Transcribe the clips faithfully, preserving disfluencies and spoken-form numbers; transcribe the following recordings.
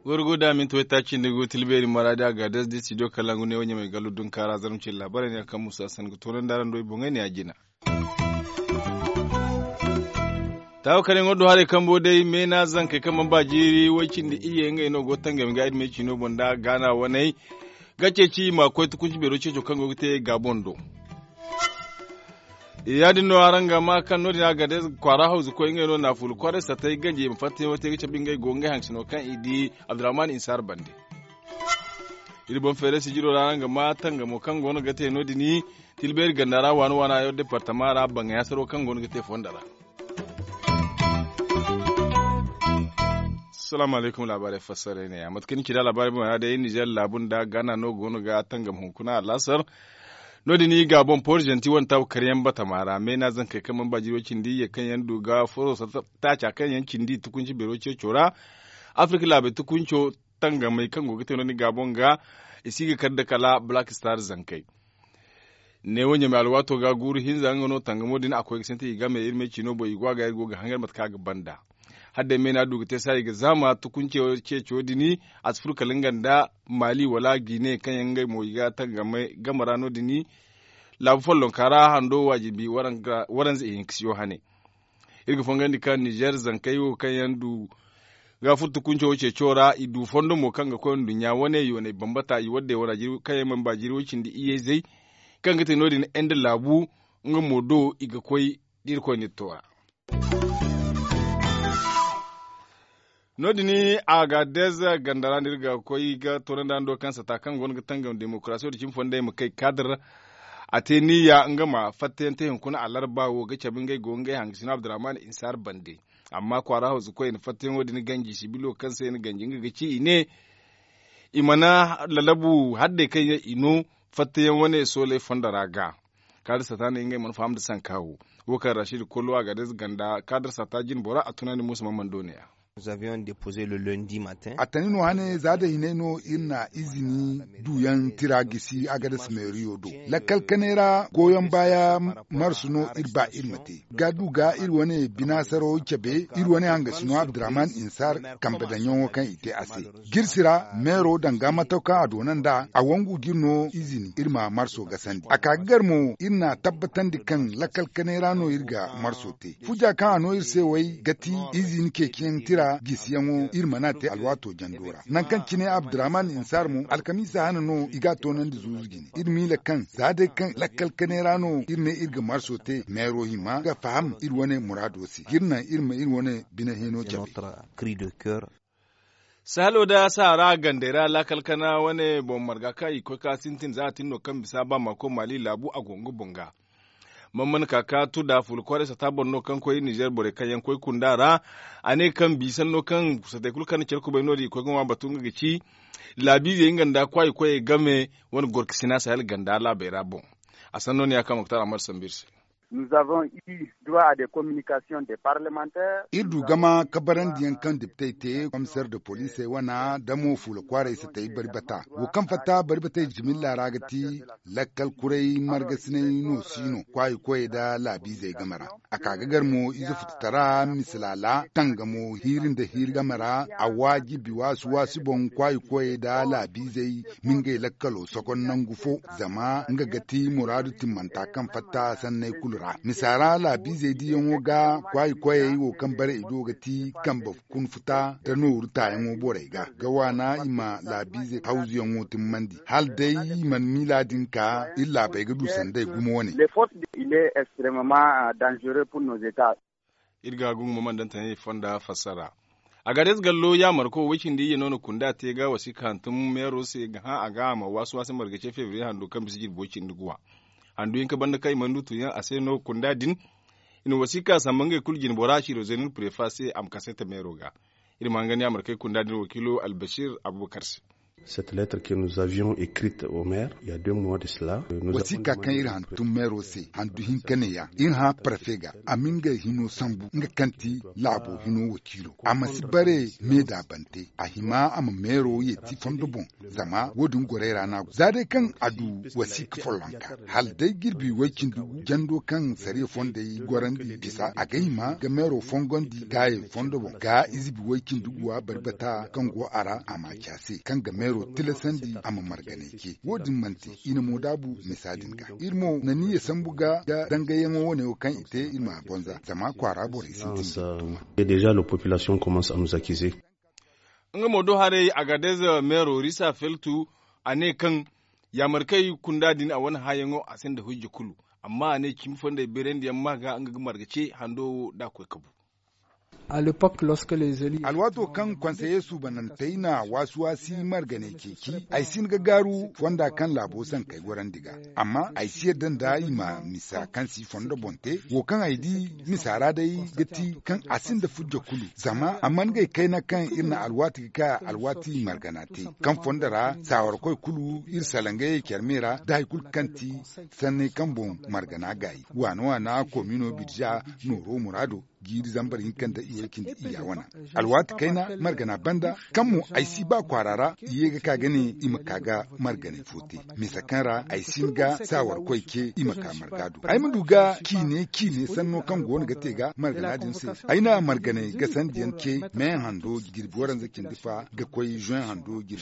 Gorgo da minti waytaaci nda go tilbeeri maraadi a ga des da studio kalangu ne wo ɲamay gallu dunkaara zarma cine laabaarey ne kaŋ musa sanni ga toonandi araŋ do i boŋey ne a jina. Taawa kar yaŋo do haray kambo day meena zankey kaŋ mana ba jiiri way cindi iyye ngey no go tangami ga iri me ciino boŋ nda gaana waney ga ceeci i ma koy tukunci beero ceeco kaŋ go ga te gaabon do. Ya- din no araŋ ga ma kaŋ no- din a ga day kwaara hawzu koy ngey no naafuula kwaaray satay ganji i ma fatta yaŋo te ga cabe ngey go ngey haŋ sino kaŋ i di abdurrahman insaar bande. Iri boŋ feeray sijiro ra araŋ ga ma tangamo kaŋ go no ga te no- din tilbeeri ganda ra waana waana yaŋ departama ra baŋay hasaro kaŋ go no ga te fondo ra. Salaamu alaykum laabaarey fassaray ne ya mate kaŋ ni ci da laabaarey boŋ ra day nizer laabu nda gaana no go no ga tangam hunkuna alaasar. No- din i ga boŋ poorizanti wane taabu karyaŋ batama ra meena zankey kaŋ mana ba jiri way cindi iyye kaŋ yaŋ du ga furo taaca kaŋ yaŋ cindi tukunci beero ceeco ra. Afirka laabey tukunco tangamey kaŋ go ga te no- din ga boŋ ga i si ga kar nda kala black star zankey. Neewo ɲamay alwaato ga guuru hinza nga no tangamo din a koy ga sintin i game iri me ciino boŋ i go a ga iri go ga hangar mate kaŋ a ga banda. Hala day meena du ga te saaya i ga zaama tukunce ceeco din a si furo kala nga nda maali wala gine kaŋ yaŋ ngey mo i ga tangame game ra no- din. Laabu follonka ra hando waajibi waranza ihinkasiyo hane. Iri ga fongandi kaŋ nizer zankey wo kaŋ yaŋ du ga furo tukunco wo ceeco ra i du fondo mo kaŋ ga koy nduɲɲa wane yoonay bambata i wadday wana kaŋ yaŋ mana ba jiri way cindi iyye-izey kaŋ ga te no- din ende laabu nga mo do i ga koy da irkoy n'iri to a. No- din a ga deza ganda ra no iri ga koy ga toonandi hando kaŋ sata kaŋ go no ga tangam demokarasiyo da cimi fondey ma kay kaadar. A te niyya nga ma fattayaŋ te hunkuna alarba wo ga cabe ngey go ngey hangasino abdurrahman insaar bande. Amma kwaara hawzu koy i na fattayaŋo din ganji sibilo kaŋ se i na ganji nga ga ci i ne i mana lalabu haddey kaŋ yaŋ i no fattayaŋ wane sooley fondo ra ga. Kaadar sata ne ngey mana faham nda sanka wo wo kaŋ rashid kollo a ga deza ganda kaadar sata jinbora a tunandi muusa mamman do ne ya. A tani no hane za da hinay no iri na izini duyaŋ tira gisi agadas meeriyo do lakkal kanay ra goyoŋ baaya marsu no iri ba iri ma te ga du ga iri wane binaasaro cabe iri wane hangasino abdurrahman insaar kambe daŋyaŋo kaŋ i te a se. Jirsi ra meero danga mataw kaŋ a doona nd'a a wangu ga iri no izini iri ma marso gasandi a ka ga gar mo iri na tabbatandi kaŋ lakkal kanay ra no iri ga marso te fuja kaŋ a no iri se way ga ti izini ceeciyaŋ tira gisiyaŋo iri mana te alwaato jando ra nangu kaŋ cine abdurrahman insaar mo alkamiisa hane no i ga a toonandi zuuzu jine iri miila kaŋ za day kaŋ lakkal kanay ra no iri ne iri ga marso te meero hima ga faham iri wane muraado se ga iri naŋ iri ma iri wane bine hino cabe. Sahalo da saara gandey ra laakal kana wane boŋ marga kaŋ i koy ka sintin za a tin no kaŋ bisa ba maako maali laabu a go nga boŋ ga. Mamman kaka tuda fuula kwaaray sata boro no kaŋ koy nizer borey kaŋ yaŋ koy kunda ra. A ne kaŋ biisanno kaŋ satey kulu kaŋ na care kubay no- din i koy ga ŋwa batu nga ga ci laabiizey nga nda kwaayi koyey game wane gorkasina sahel ganda laabey ra boŋ. A sanno ne ya kaŋ muktar amar sambu iri se. Iri du gama kabarandiyaŋ kaŋ depitey te komiseer de poliisey wana da mo fuula kwaaray satey bari bata wo kaŋ fatta bari batey jimilla ra ga ti lakkal kuray margasinay no si no kwaayi koyey nda laabiizey game ra. A ka ga gar mo ize fututara misalaala tangamo hiiri nda hiiri game ra a waajibi waasi waasi boŋ kwaayi koyey nda laabiizey ma ngey lakkalo sokon nangu fo zama nga ga ti muraadu timmanta kaŋ fatta sanney kulu ra misa ra laabiizey diyaŋo ga kwaayi koyey wo kaŋ bare i do ga ti kambe kun futa nda nooru taayaŋo borey ga ga waana i ma laabiizey hawzuyaŋo timmandi hala day i mana miila din ka iri laabey ga du sanda i gumo wane. Iri ga gumo mana daŋ tanay fonda fassara. Agades gallo yaamarko way cindi iyye no na kunda te ga wasiika hantum meero se ga hã a ga a ma waasi waasi marga ce febriye hando kaŋ bisa jirbi way cindi guwa. Handu hinka banda kaŋ i mana du tunyaŋ a se no kunda din. I na wasiika samba ngey kulu jine bora ciiro zenir prefa se a ma kasete meero ga. Iri ma hangan yaamarkey kunda din wakiilo albasir abubakar se. Cette lettre que nous avions écrite au maire il y a deux mois de cela. Wasiika kaŋ iri hantum meero se handu hinka neeya iri hã parfe ga a ma ngey hino sambu nga kaŋ ti laabo hino wakiilo a ma si bare me daabante a hima a ma meero yeeti fondo boŋ. Zama wo- din gorey ra no a go za day kaŋ a du wasiika follonka hala day jirbi way-cindi gu jando kaŋ sariya fondey gorandi bisa a ga hima ga meero fongondi gaayey fondo boŋ ga izibi way-cindi guwa bari bata kaŋ go a ra a ma ci a se kaŋ ga meero tilasandi a ma marganay ce wo- din manti i na mo daabu misa din ga iri mo na niyya sambu ga ga dangayaŋo wane wo kaŋ i te iri ma a bonza zama kwaara borey sintin ga tuma. Déjà la population commence à nous accuser. Nga mo do haray agadez meero risa feltu a ne kaŋ yaamarkey kunda din a wane hãyaŋo a sinda hujja kulu. Amma a ne cimi fondey beerandiyaŋ ma ga nga ga marga ce hando wo da a koy kabu. Alwaato kaŋ konseye suubanantey na waasi-waasi marganey ceeci ay si hin ga gaaru fonda kaŋ laabo sankey gorandi ga. Amma ay si yadda nda i ma misa kaŋ si fondo boŋ te wo kaŋ ay di misa ra day ga ti kaŋ a sinda fujja kulu zama a mana gay kayna kaŋ iri na alwaati ga ka alwaati margana te kaŋ fondo ra saawarkoy kulu iri salaŋ ngey care me ra da hari kulu kaŋ ti sanney kaŋ boŋ margana gaayi waana waana komino birza nooro muraado jiiri zambar hinka nda i way cindi iyya wana alwaati kayna margana banda kaŋ mo ay si ba kwaara ra i ye ga ka ga ne i ma ka ga marganay fo te misa kaŋ ra ay si hin ga saawarkoy ce i ma ka marga do ay ma du ga ciine ciine sanno kaŋ go no ga te ga margana din se ay na marganay gasandiyaŋ ce me hando jirbi waranza cindi fa ga koy juin hando jirbi.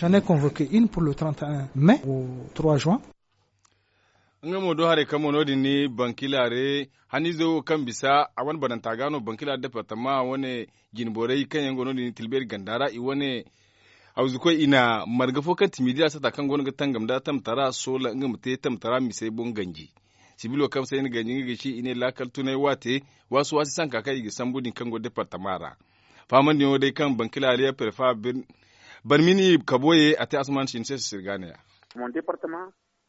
Nga mo do haray kaŋ mo no- din ni bankilare haniizo wo kaŋ bisa a wane bananta ga no bankilare departama wane jinborey kaŋ yaŋ go no- din ni tilbeeri ganda ra i wane hawzukoy i na marga fo kaŋ ti midiya sata kaŋ go no ga tangam nda tamtara soola nga ma te tamtara misey boŋ ganji. Sibilo kaŋ se i na ganji nga ga ci i ne laakal tunay waate waasi waasi sanka kaŋ i ga sambu din kaŋ go departama ra. Faamandiyaŋo day kaŋ bankilare ya prefa barmini kaboye a te asuman sinse sisirgaaneya.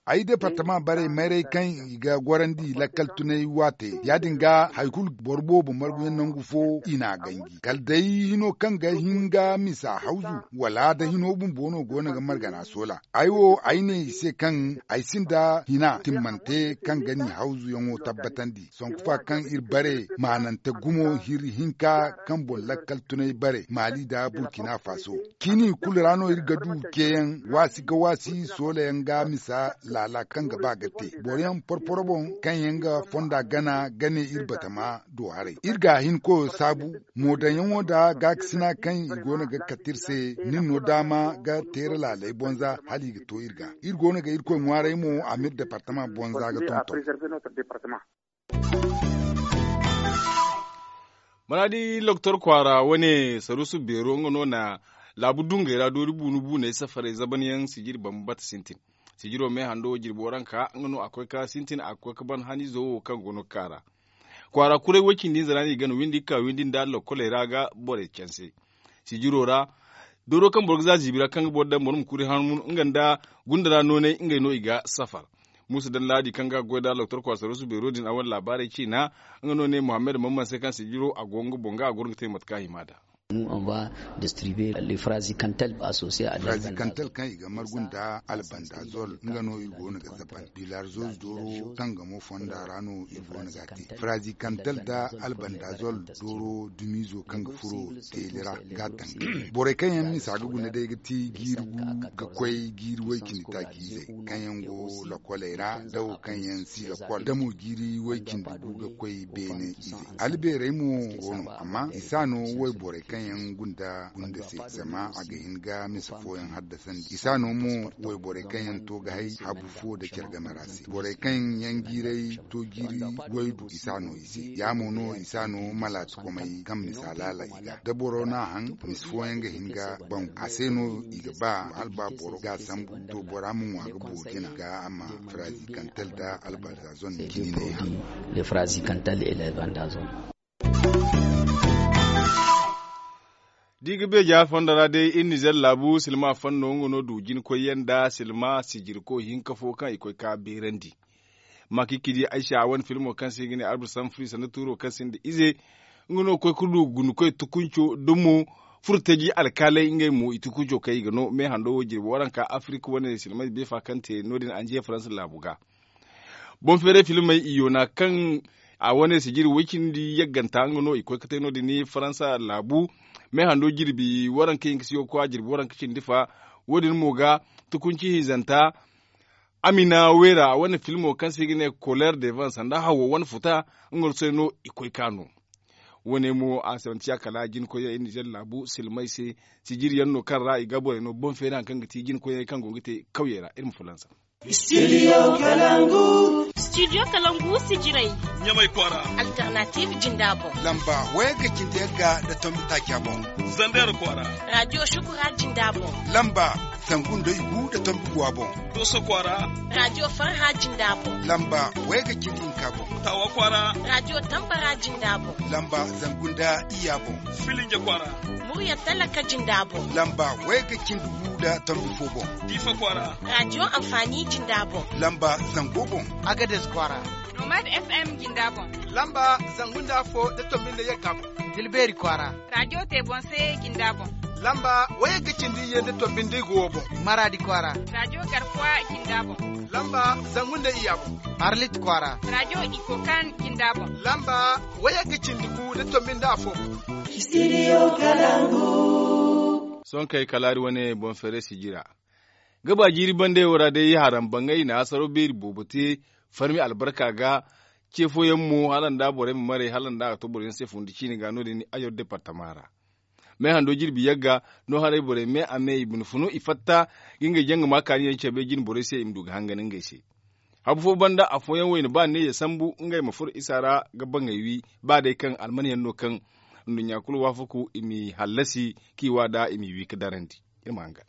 Ay departama bare mayray kaŋ i ga gorandi lakkal tunay waate ya- din ga hari kulu boro boobo marguyaŋ nangu fo i n'a ganji kala day hino kaŋ ga hin ga misa hawzu wala da hino bumbo no go no ga margana soola. Ay wo ay ne i se kaŋ ay sinda hina timmante kaŋ ga ni hawzuyaŋo tabbatandi sanku fa kaŋ iri bare maanante gumo hiri hinka kaŋ boŋ lakkal tunay bare maali nda burkina faso. Ciini kulu ra no iri ga du ceeyaŋ waasi ga waasi soolayaŋ ga misa laala kaŋ ga ba ga te boro yaŋ porporo boŋ kaŋ yaŋ ga fonda gana ga ne iri batama do haray iri ga hin koyo saabu. Moodaŋyaŋo nda gaakasina kaŋ i go no ga kate iri se nin no daama ga teera laaley bonza hala i ga to iri ga iri go no ga irkoy ŋwaaray mo a m'iri departama bonza ga tonton. Maraadi loktor kwaara wane saruusu beero nga no na laabu dungey ra doori buunu buuney safarey zabanyaŋ sijiri bambata sintin. Sijiro me hando jirbo ranka nga no a koy ka sintin a koy ka ban haniizo wo kaŋ go no ga ka ra. Kwaara kuray way cindi hinza ra no i gana windi ga ka windi nda lokkoley ra ga borey canse. Sijiro ra dooro kaŋ boro ga za ziibi ra kaŋ ga boro daŋ boro ma kuri hanmu nga nda gunda ra noonay ngey no i ga safar. Muusa daŋ laadi kaŋ ga goy nda loktor kwaara saruusu beero din a wane laabaarey ciina. Nga no ne muhammad mamman se kaŋ sijiro a go nga boŋ ga a goro ga te mate kaŋ a hima nd'a. Frazikantal kaŋ i ga margu nda albandazol nga no iri go no ga zaban bilarzol dooro kaŋ ga mo fonda ra no iri go no ga a te frazikantal nda albandazol dooro dumiizo kaŋ ga furo teeli ra ga a taŋ. Borey kaŋ yaŋ misa ga guna day ga ti jiiri gu ga koy jiiri way cindi taaci izey kaŋ yaŋ go lakoley ra da wo kaŋ yaŋ si lakol da mo jiiri way cindi gu ga koy beene izey. Albeerey mo go no amma i s'a no wayborey kaŋ yaŋ gunda gunda se zama a ga hin ga misa fooyaŋ haddasandi i s'a no mo wayborey kaŋ yaŋ to ga hay habu fo da care game ra se borey kaŋ yaŋ jiiray to jiiri waydu i s'a no i se ya mo no i s'a no malaati komey kaŋ misa laala i ga da boro n'a haŋ misa fooyaŋ ga hin ga bangu a se no i ga ba hala ba boro ga sambu to bora ma ŋwa ga boori jina ga a ma frazikantal da albandazon cine yaŋ. Da i ga beeja fondo ra day iri nizer laabu silma fanno nga no du jinkoyyaŋ nda silma sijirko hinka fo kaŋ i koy ka beerandi. Makikidi aysa wane filmo kaŋ se i ga ne arba samfuri sanda tuuro kaŋ sinda ize nga no koy ga du gundukoy tukunco dumo. Furtaji alkaaley ngey mo i tukunco kaŋ i ga no me hando wo jirbi waranka afirika wane silmay beefa kaŋ te no- din anjiya faransa laabu ga. Boŋ feeray filmey i yoona kaŋ a wane sijiri way- cindi yagganta nga no i koy ga te no- din faransa laabu. Me hando jirbi waranka hinka si ga koy a jirbi waranka cindi fa. Wo- din mo ga tukunci hinzanta, amina weera a wane filmo kaŋ se i ga ne koleer devan sanda hawo wane futa. Nga no se no i koy ka no. Wo- ne mo a si manti ya kala jinkoyyaŋ iri nizer laabu silmay se. Sijiri yaŋ no kaŋ ra i ga borey no boŋ feeri hari kaŋ ga ti jinkoyyaŋ kaŋ go ga te kawyey ra iri ma fulansa. Studio kalangu. Studio kalangu sijirey. Ɲamay kwaara. Alternative jinda boŋ. Lamba wayagga cindi yagga nda tombi taaca boŋ. Zander kwaara. Radio shukura jinda boŋ. Lamba zangu nda igu nda tombi guwa boŋ. Doso kwaara. Radio farha jinda boŋ. Lamba wayagga cindi hinka boŋ. Tawa kwaara. Radio tambara jinda boŋ. Lamba zangu nda iyya boŋ. Filinja kwaara. Murya talaka jinda boŋ. Lamba wayagga cindi gu nda tombi fo boŋ. Diifa kwaara. Radio amfani jinda boŋ. Lamba zango boŋ. Agades kwaara. Nomad FM jinda boŋ. Lamba zangu nda afo nda tombi nda yagga boŋ. Dilbeeri kwaara. Radio te boŋ se jinda boŋ. Lamba wayagga cindi iyye nda tombi nda igu wo boŋ. Maraadi kwaara. Radio garkuwa jinda boŋ. Lamba zangu nda iyya boŋ. Arlit kwaara. Radio ikokan jinda boŋ. Lamba wayagga cindi gu nda tombi nda afo boŋ. Studio kalangu. Sohõ kay kalaari wane boŋ feere sijira. Gaba jiiri bandey wo ra day haram baŋay na hasaro beeri boobo te farmi albarka ga. Ce fooyaŋ mo hala nda borey ma maray hala nda a ga to boroyaŋ se fundi ciine ga no- din ayor departama ra. Me hando jirbi yagga no haray borey me a me i bine funu i fatta ga ngey jaŋ ga ma kaani yaŋ cabe jine borey se i ma du ga hangan ngey se. Habu fo banda afooyaŋ wayna ba ne ya sambu ngey ma furo isa ra ga baŋey wi ba day kaŋ almanyaŋ no kaŋ nduɲɲa kulu waafaku i m'i hallasi k'i wa da i m'i wi ga darandi. Iri ma hangan.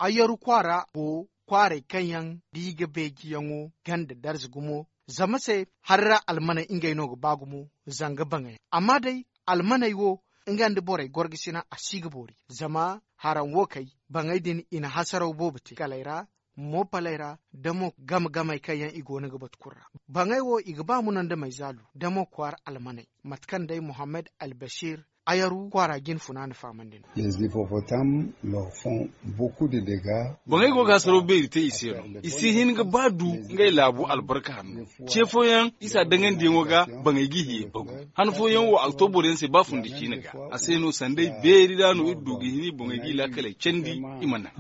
Ayaru kwaara go kwaarey kaŋ yaŋ da i ga beejiyaŋo ganda darza gumo zama se hari ra almaney ngey no ga ba gumo. Zanga baŋey amma day almaney wo nga nda borey gorgasina a si ga boori zama haraŋ wo kay baŋey din i na hasaraw boobo te kaley ra moopaley ra da mo game-gamey kaŋ yaŋ i go no ga batu kulu ra. Baŋey wo i ga ba munandamey zaalu da mo kwaara almaney mate kaŋ day muhammad albasir ayaru kwaara jine funa na fahamandi no. Boŋey go ga hasaro beeri te i se no i si hin ga ba du ngey laabu albarka hanno. Ce fooyaŋ isa daŋandiyaŋo ga baŋey g'i hiyey bagu. Han fooyaŋ wo a ga to boroyaŋ se ba fundi ciine ga a se no sanday beeri ra no iri du ga hin i boŋey g'i laakaley candi. I ma naŋ.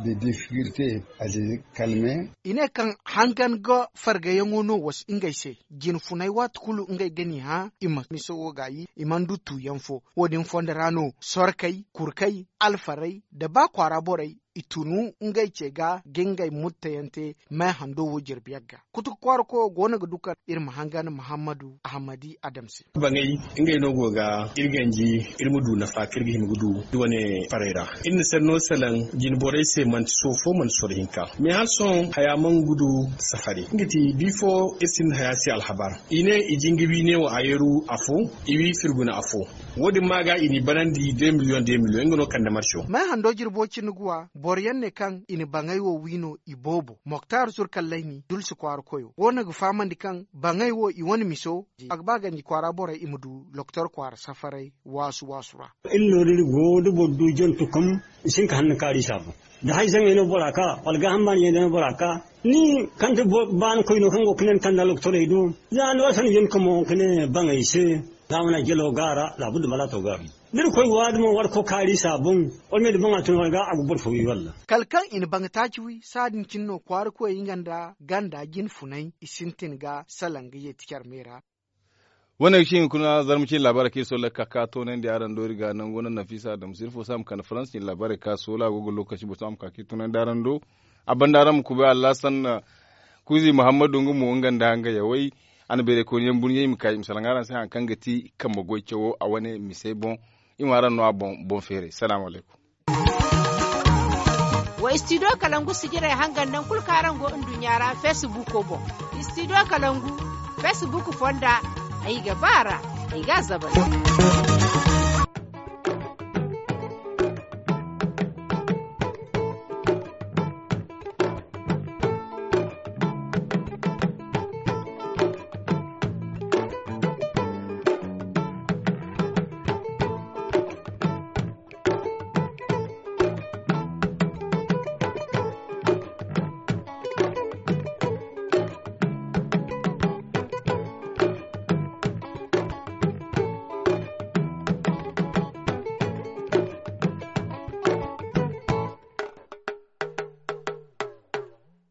I ne kaŋ hangan ga fargayaŋo no wasu ngey se jine funay waati kulu ngey ga n'i hã i ma miso wo gaayi i mana du tuuyaŋ fo. Wo- din fondo ra no sorkey kurkey alfarey nda ba kwaara borey i tunu ngey ce ga ga ngey murtayaŋ te. May hando wo jirbi yagga kutuka kwaara koyo go no ga du kaŋ iri ma hangan muhammadu ahamadi adam se. Baŋey ngey no go ga iri ganji iri ma du nafa kaŋ iri ga hima ga du iri wane farey ra. Iri na sanno salaŋ jine borey se manti soofo manti soro hinka. Mais hala sohõ haya mana ga du safari nga ti bifo iri sinda haya se alhabar i ne i jinga wi ne wo a yeru afo i wi firguna afo. Wo- din ma ga i n'i banandi deux millions deux millions nga no kande marso. May hando jirbo cindi guwa boroyaŋ ne kaŋ i na baŋey wo wi no i boobo moktar zurkallayni dulsi kwaara koyo go no ga fahamandi kaŋ baŋey wo i wane miso a ga ba ganji kwaara borey i ma du loktor kwaara safaray waasu waasu ra. Iri no da iri go da boro du jantu kam i si hin ka hanna kaari saabu da hay zaŋey no bora ka wala gaaham baani yaŋ day no bora ka ni kande baani koyno kaŋ go ga ne ni kande aloktorey do. Za ni wasa ni yen ka mo ka ne baŋey se za mana jalo gaara laabu da balato gaara da iri koy waadi mo warko kaari saabu wala me da baŋa tun wala ga a ga boro fo wi walla. Kala kaŋ i na baŋa taaci wi saadin cine no kwaara koyey nga nda ganda jine funay i sintin ga salaŋ ga yeeti care me ra. Wane ga ci nga kuna zarma cine laabaarey kaŋ iri sooley ga ka ka toonandi araŋ do iri ga nango naŋ nafiisa adamsu iri fo se a ma kande farans cine laabaarey ka soola a go ga lokaci boro se a ma ka ka iri toonandi araŋ do. A banda araŋ ma kubay allasan kuuzi muhammadu nga mo nga nda nga yawey. A na beerey kooni yaŋ burɲey i ma ka i ma salaŋ araŋ se hari kaŋ ga ti kambe goy cawo a wane misey boŋ. I ma araŋ no a boŋ boŋ feeray salaamu alaykum. Wa studio kalangu sijirey hangan naŋ kulu kaŋ araŋ go nduɲɲa ra facebook boŋ. Studio kalangu facebook fonda ay ga ba ra ay ga a zabari.